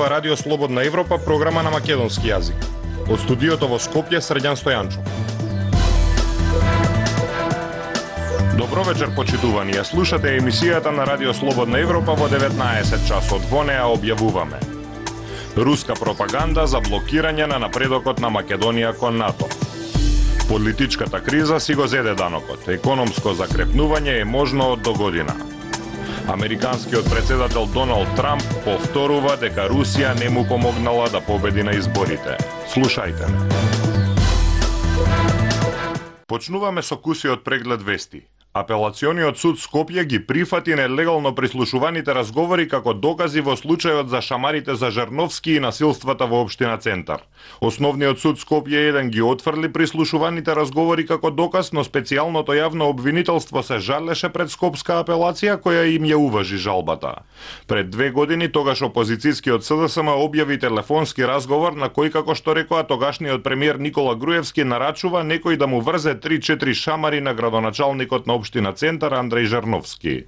ова Радио Слободна Европа, програма на македонски јазик. Од студиото во Скопје, Срđan Стојанчов. Добро вечер, почитувани. Ја слушате емисијата на Радио Слободна Европа во 19 часот. Во неа објавуваме: руска пропаганда за блокирање на напредокот на Македонија кон НАТО. Политичката криза си го зеде данокот. Економско закрепнување е можно од догодина. Американскиот председател Доналд Трамп повторува дека Русија не му помогнала да победи на изборите. Слушајте ме. Почнуваме со кусиот преглед вести. Апелациониот суд Скопје ги прифати нелегално прислушуваните разговори како докази во случајот за шамарите за Жерновски и насилствата во општина Центар. Основниот суд Скопје 1 ги отфрли прислушуваните разговори како доказ, но специјалното јавно обвинителство се жалеше пред Скопска апелација која им ја уважи жалбата. Пред 2 години тогаш опозицијскиот СДСМ објави телефонски разговор на кој, како што рекоа тогашниот премиер Никола Груевски, нарачува некој да му врзе 3-4 шамари на градоначалникот на општина Центар Андреј Жерновски.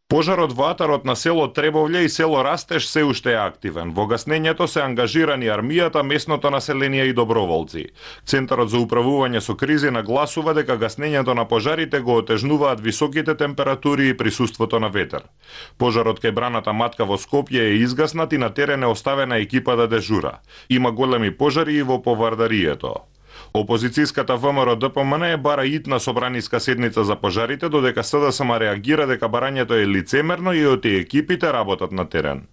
Пожарот во атарот на село Требовље и село Растеж се уште е активен. Во гаснењето се ангажирани армијата, местното население и доброволци. Центарот за управување со кризи нагласува дека гаснењето на пожарите го отежнуваат високите температури и присуството на ветер. Пожарот кај браната Матка во Скопје е изгаснат и на терен е оставена екипа да дежура. Има големи пожари и во повардарието. Опозицијската ВМРО ДПМН бара итна собраниска седница за пожарите, додека СДСМ реагира дека барањето е лицемерно и оти екипите работат на терен.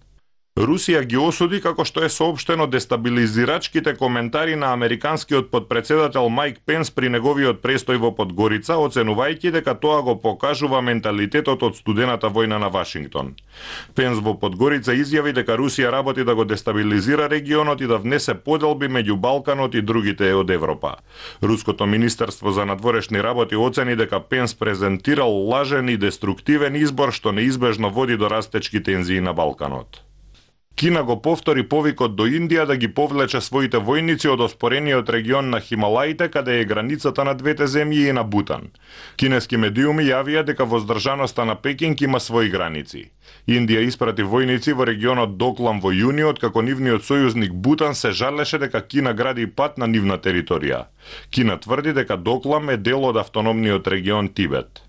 Русија ги осуди, како што е соопштено, дестабилизирачките коментари на американскиот подпредседател Майк Пенс при неговиот престој во Подгорица, оценувајќи дека тоа го покажува менталитетот од студената војна на Вашингтон. Пенс во Подгорица изјави дека Русија работи да го дестабилизира регионот и да внесе поделби меѓу Балканот и другите од Европа. Руското министерство за надворешни работи оцени дека Пенс презентирал лажен и деструктивен избор што неизбежно води до растечки тензии на Балканот. Кина го повтори повикот до Индија да ги повлече своите војници од оспорениот регион на Хималаите, каде е границата на двете земји и на Бутан. Кинески медиуми јавија дека воздржаноста на Пекинг има своји граници. Индија испрати војници во регионот Доклам во јуни, откако нивниот сојузник Бутан се жалеше дека Кина гради пат на нивна територија. Кина тврди дека Доклам е дел од автономниот регион Тибет.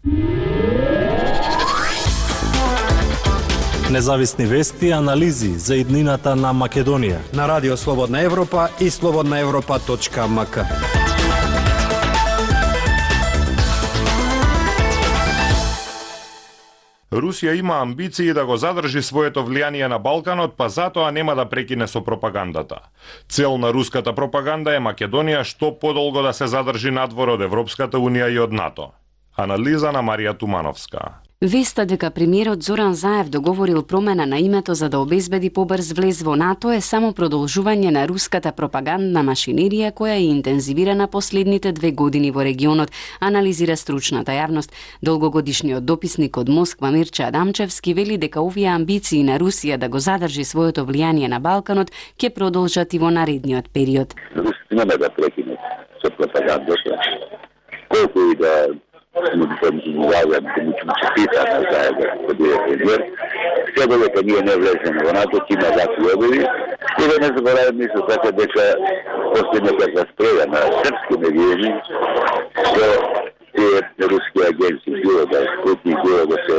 Независни вести и анализи за иднината на Македонија на Радио Слободна Европа и slobodnaevropa.mk. Русија има амбиции да го задржи своето влијание на Балканот, па затоа нема да прекине со пропагандата. Цел на руската пропаганда е Македонија што подолго да се задржи надвор од Европската Унија и од НАТО. Анализа на Марија Тумановска. Веста дека премиерот Зоран Заев договорил промена на името за да обезбеди побрз влез во НАТО е само продолжување на руската пропагандна машинерија која е интензивирана последните 2 години во регионот, анализира стручната јавност. Долгогодишниот дописник од Москва Мирча Адамчевски вели дека овие амбиции на Русија да го задржи своето влијание на Балканот ќе продолжат и во наредниот период. Русија нема да прекине со пропагандата. Колку и да му честитаме заедно да биде премиер. Сега дека ние не влеземе во НАТО, има вакви обиди. И да не забораваме исто така дека последната разпреда на српски медиуми со тие руски агенции, било да Спутник, било да се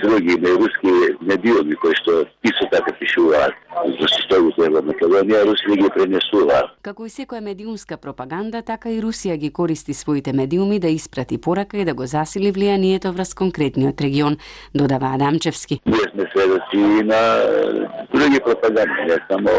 други руски медиуми кои што исто така пишуваат за состојбите во Македонија, Русија ги пренесува. Како и секоја медиумска пропаганда, така и Русија ги користи своите медиуми да испрати порака и да го засили влијанието врз конкретниот регион, додава Адамчевски. Ние сме сведоци и на други пропаганди, не само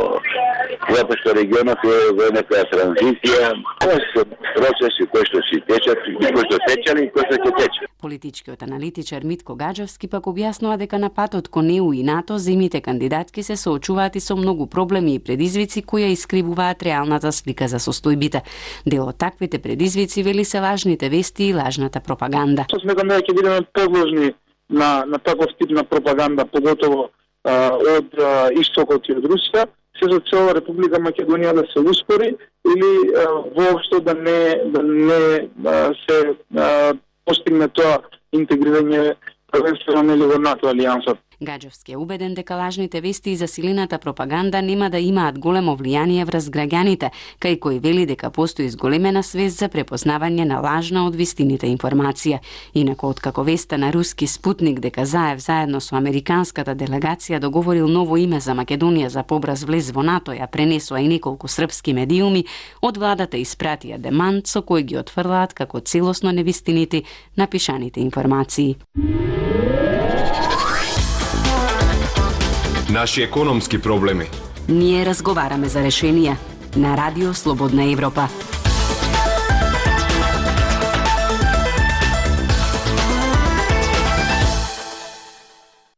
затоа што регионот е во некоја транзиција, кои се процеси кои што си течат, кои што течали и кои што ќе течат. Политичкиот аналитичар Митко Гаджевски пак објаснува дека на патот кон ЕУ и НАТО земјите кандидатки се соочуваат и со многу проблеми и предизвици кои ја искривуваат реалната слика за состојбите. Дел од таквите предизвици вели се лажните вести и лажната пропаганда. Сметам дека ќе бидеме подложни на таков тип на пропаганда, поготово од истокот и од Русија, се за цел Република Македонија да се успори или воопшто да не се постигне тоа интегрирање првенствено во НАТО алијансот. Гаджевски е убеден дека лажните вести и засилената пропаганда нема да имаат големо влијание врз граѓаните, кај кој вели дека постои зголемена свест за препознавање на лажна од вистините информација. Инаку откако веста на руски Спутник дека Заев заедно со американската делегација договорил ново име за Македонија за побрз влез во НАТО, ја пренесоа и неколку српски медиуми, од владата испратија демант со кој ги отфрлаат како целосно невистините напишаните информации. Наши економски проблеми. Ние разговараме за решенија на Радио Слободна Европа.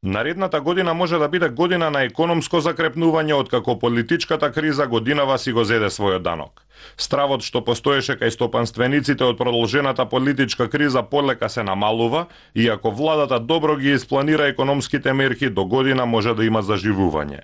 Наредната година може да биде година на економско закрепнување откако политичката криза годинава си го зеде својот данок. Стравот што постоеше кај стопанствениците од продолжената политичка криза полека се намалува, иако владата добро ги испланира економските мерки, до година може да има заживување.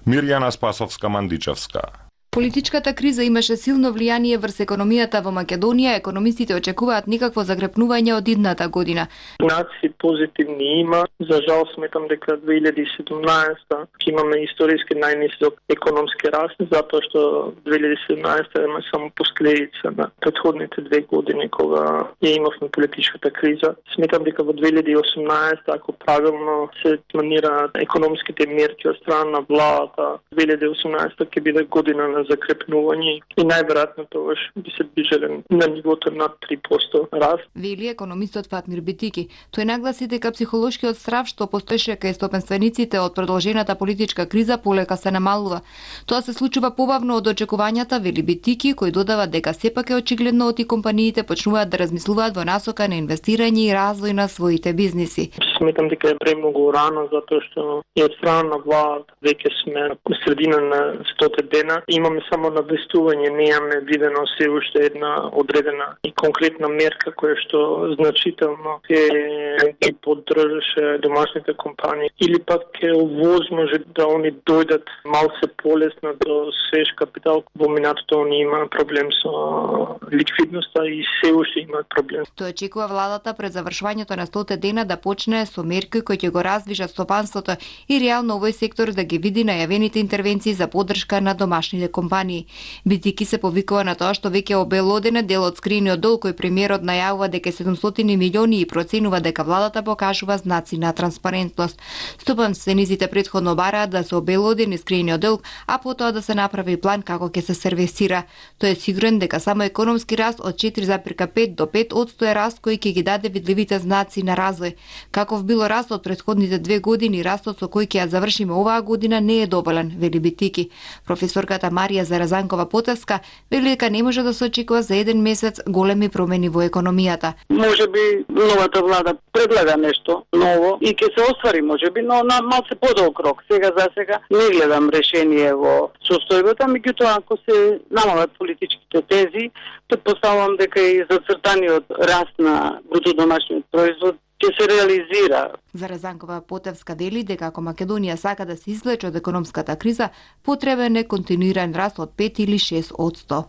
Мирјана Спасовска-Мандичевска. Политичката криза имаше силно влијание врз економијата во Македонија. Економистите очекуваат никакво закрепнување од идната година. Знаци позитивни има. За жал сметам дека 2017 ќе имаме историски најнисок економски раст, затоа што 2017 има само последица на претходните 2 години кога ја имавме политичката криза. Сметам дека во 2018, ако правилно се планираат економските мерки од страна на владата, 2018 ќе биде година на закрепнување и најверојатно тогаш би се движеле на нивото над 3% раст. Вели економистот Фатмир Битики. Тој нагласи дека психолошкиот страв што постоеше кај стопенствениците од продолжената политичка криза полека се намалува. Тоа се случува побавно од очекувањата, вели Битики, кој додава дека сепак е очигледно од и компаниите почнуваат да размислуваат во насока на инвестирање и развој на своите бизниси. Сметам дека е премногу рано затоа што и од страна на владата веќе сме на средина на 100 дена. Имаме само навестување, немаме видено се уште една одредена и конкретна мерка која што значително ќе поддржаше домашните компании или пак ќе овозможи да они дојдат малце полесно до свеж капитал. Во минатото они има проблем со ликвидноста и се уште имаат проблем. Тој очекува владата пред завршувањето на 100 дена да почне со мерки кои ќе го раздвижат стопанството и реално овој сектор да ги види најавените интервенции за поддршка на домашните компании. Битики се повикува на тоа што веќе обелоден дел од скриениот долг кој премиерот најавува дека 700 милиони и проценува дека владата покажува знаци на транспарентност. Стопанствениците претходно бараат да се обелодени скриениот долг, а потоа да се направи план како ќе се сервисира. Тој е сигурен дека само економски раст од 4,5 до 5% е раст кој ќе ги даде видливите знаци на развој. Каков било раст од претходните 2 години, растот со кој ќе ја завршиме оваа година не е доволен, вели Битики. Професорката Марија Заразанкова-Потевска вели дека не може да се очекува за еден месец големи промени во економијата. Може би новата влада предлага нешто ново и ќе се оствари можеби, но на малце подолг рок. За сега не гледам решение во состојбата, меѓутоа ако се намалат политичките тези, претпоставувам дека и зацртаниот раст на бруто домашниот производ ќе се реализира. Заразанкова-Потевска вели дека ако Македонија сака да се излече од економската криза, потребен е континуиран раст од 5 или 6%.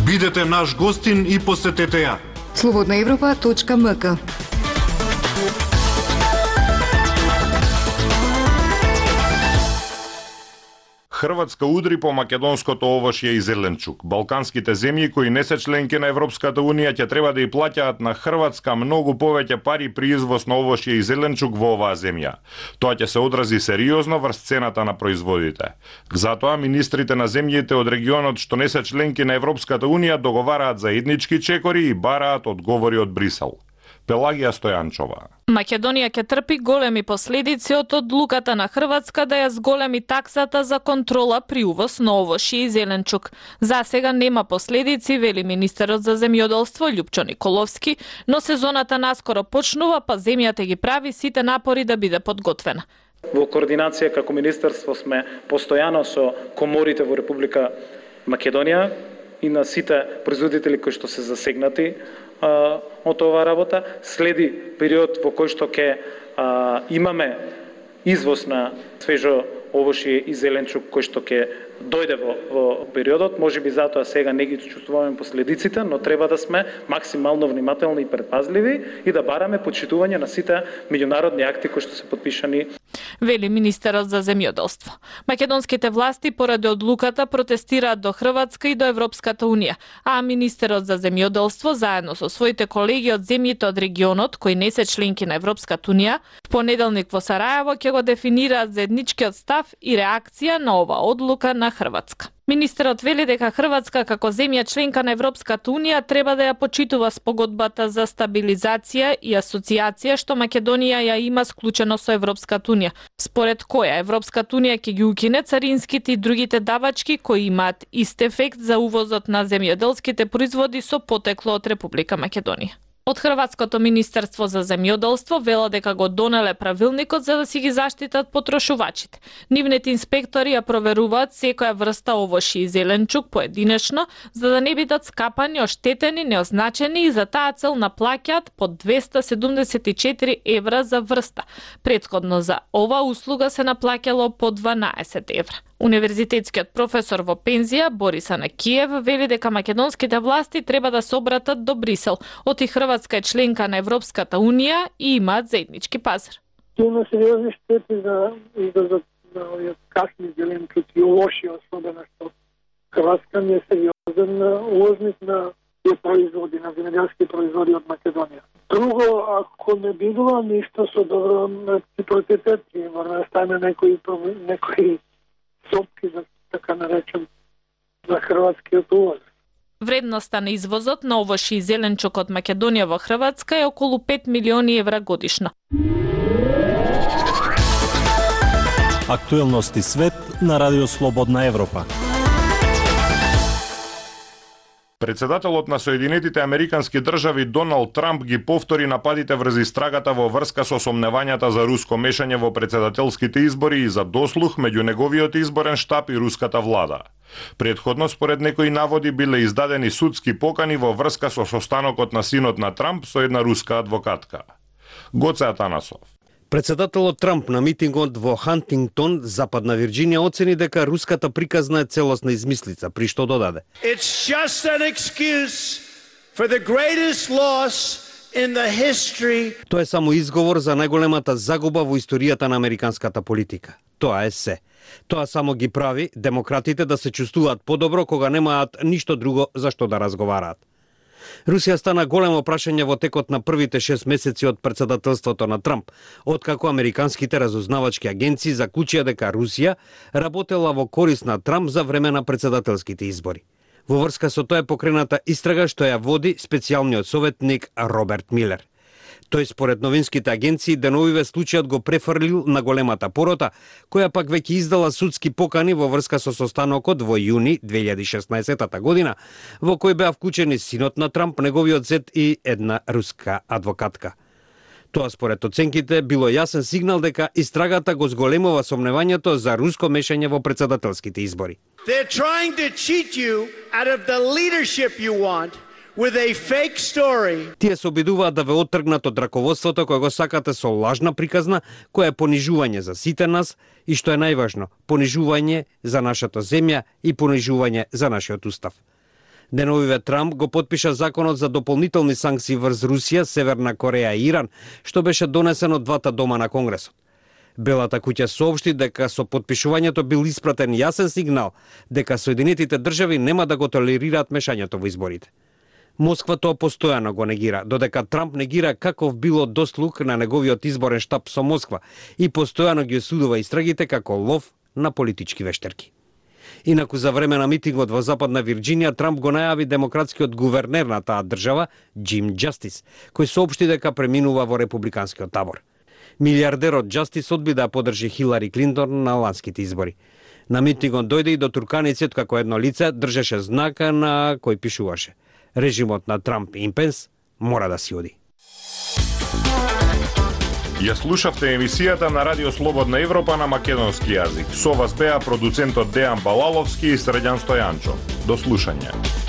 Бидете наш гостин и посетете ја. slobodnaevropa.mk. Хрватска удри по македонското овошје и зеленчук. Балканските земји кои не се членки на Европската Унија ќе треба да и плаќаат на Хрватска многу повеќе пари при извоз на овошје и зеленчук во оваа земја. Тоа ќе се одрази сериозно врз цената на производите. Затоа министрите на земјите од регионот што не се членки на Европската Унија договараат заеднички чекори и бараат одговори од Брисел. Пелагија Стојанчова. Македонија ќе трпи големи последици од одлуката на Хрватска да ја зголеми таксата за контрола при увоз на овошје и зеленчук. За сега нема последици, вели министерот за земјоделство Љупчо Николовски, но сезоната наскоро почнува, па земјата ги прави сите напори да биде подготвена. Во координација како министерство сме постојано со коморите во Република Македонија и на сите производители кои што се засегнати од оваа работа. Следи период во кој што ќе имаме извоз на свежо овошје и зеленчук кој што ќе дојде во периодот. Можеби затоа сега не ги чувствуваме последиците, но треба да сме максимално внимателни и предпазливи и да бараме почитување на сите меѓународни акти кои што се подпишани. Вели министерот за земјоделство. Македонските власти поради одлуката протестираат до Хрватска и до Европската унија, а министерот за земјоделство заедно со своите колеги од земјите од регионот кои не се членки на Европската унија, в понеделник во Сараево ќе го дефинираат заедничкиот став и реакција на ова одлука на Хрватска. Министерот вели дека Хрватска како земја членка на Европската унија треба да ја почитува спогодбата за стабилизација и асоциација што Македонија ја има склучено со Европската унија, според која Европската унија ќе ги укине царинските и другите давачки кои имаат ист ефект за увозот на земјоделските производи со потекло од Република Македонија. Од Хрватското министерство за земјоделство вело дека го донеле правилникот за да си ги заштитат потрошувачите. Нивните инспектори ја проверуваат секоја врста овошје и зеленчук поединечно, за да не бидат скапани, оштетени, неозначени и за таа цел наплаќаат по 274 евра за врста. Претходно за ова услуга се наплаќало по 12 евра. Универзитетскиот професор во пензија Борис Анакиев вели дека македонските власти треба да се обратат до Брисел. Оти Хрватска е членка на Европската унија и имаат заеднички пазар. Има сериозни штети за овие касни зеленчуци, овошје особено што Хрватска не е сериозен увозник на тие производи, на земјоделски производи од Македонија. Друго, ако не бидува ништо со добро реципроцитет, мора да стане некои сопки, за така наречем, за хрватскиот увоз. Вредноста на извозот на овошје и зеленчук од Македонија во Хрватска е околу 5 милиони евра годишно. Актуелности свет на Радио Слободна Европа. Председателот на Соединетите Американски држави Доналд Трамп ги повтори нападите врз истрагата во врска со сомневањата за руско мешање во председателските избори и за дослух меѓу неговиот изборен штаб и руската влада. Претходно, според некои наводи, биле издадени судски покани во врска со состанокот на синот на Трамп со една руска адвокатка. Гоце Атанасов. Председателот Трамп на митингот во Хантингтон, Западна Вирџинија, оцени дека руската приказна е целосна измислица, при што додаде: It's just an excuse for the greatest loss in the history. Тоа е само изговор за најголемата загуба во историјата на американската политика. Тоа е се. Тоа само ги прави демократите да се чувствуваат подобро кога немаат ништо друго за што да разговараат. Русија стана големо прашање во текот на првите 6 месеци од председателството на Трамп, откако американските разузнавачки агенции заклучија дека Русија работела во корист на Трамп за време на председателските избори. Во врска со тоа е покрената истрага што ја води специјалниот советник Роберт Милер. Тој според новинските агенции деновиве случајот го префрлил на големата порота, која пак веќе издала судски покани во врска со состанокот во јуни 2016 година, во кој беа вклучени синот на Трамп, неговиот зет и една руска адвокатка. Тоа според оценките било јасен сигнал дека истрагата го зголемува сомневањето за руско мешање во председателските избори. They're trying to cheat you out of the leadership you want. With a fake story. Тие се обидуваат да ве оттргнат од раководството кое го сакате со лажна приказна, која е понижување за сите нас и што е најважно, понижување за нашата земја и понижување за нашиот устав. Деновиве Трамп го потпиша законот за дополнителни санкции врз Русија, Северна Кореја и Иран, што беше донесен од двата дома на Конгресот. Белата куќа соопшти дека со потпишувањето бил испратен јасен сигнал дека Соединетите држави нема да го толерираат мешањето во изборите. Москва тоа постојано го негира, додека Трамп негира каков било дослух на неговиот изборен штаб со Москва и постојано ги осудува истрагите како лов на политички вештерки. Инаку за време на митингот во Западна Вирџинија Трамп го најави демократскиот гувернер на таа држава, Џим Џастис, кој соопшти дека преминува во републиканскиот табор. Милиардерот Џастис одби да подржи Хилари Клинтон на ланските избори. На митингот дојде и до турканиците како едно лице држеше знака на кој пишуваше: режимот на Трамп и Пенс мора да си оди. Ја слушавте емисијата на Радио Слободна Европа на македонски јазик. Со вас беа продуцентот Дејан Балаловски и Средјан Стојанчо. До слушање.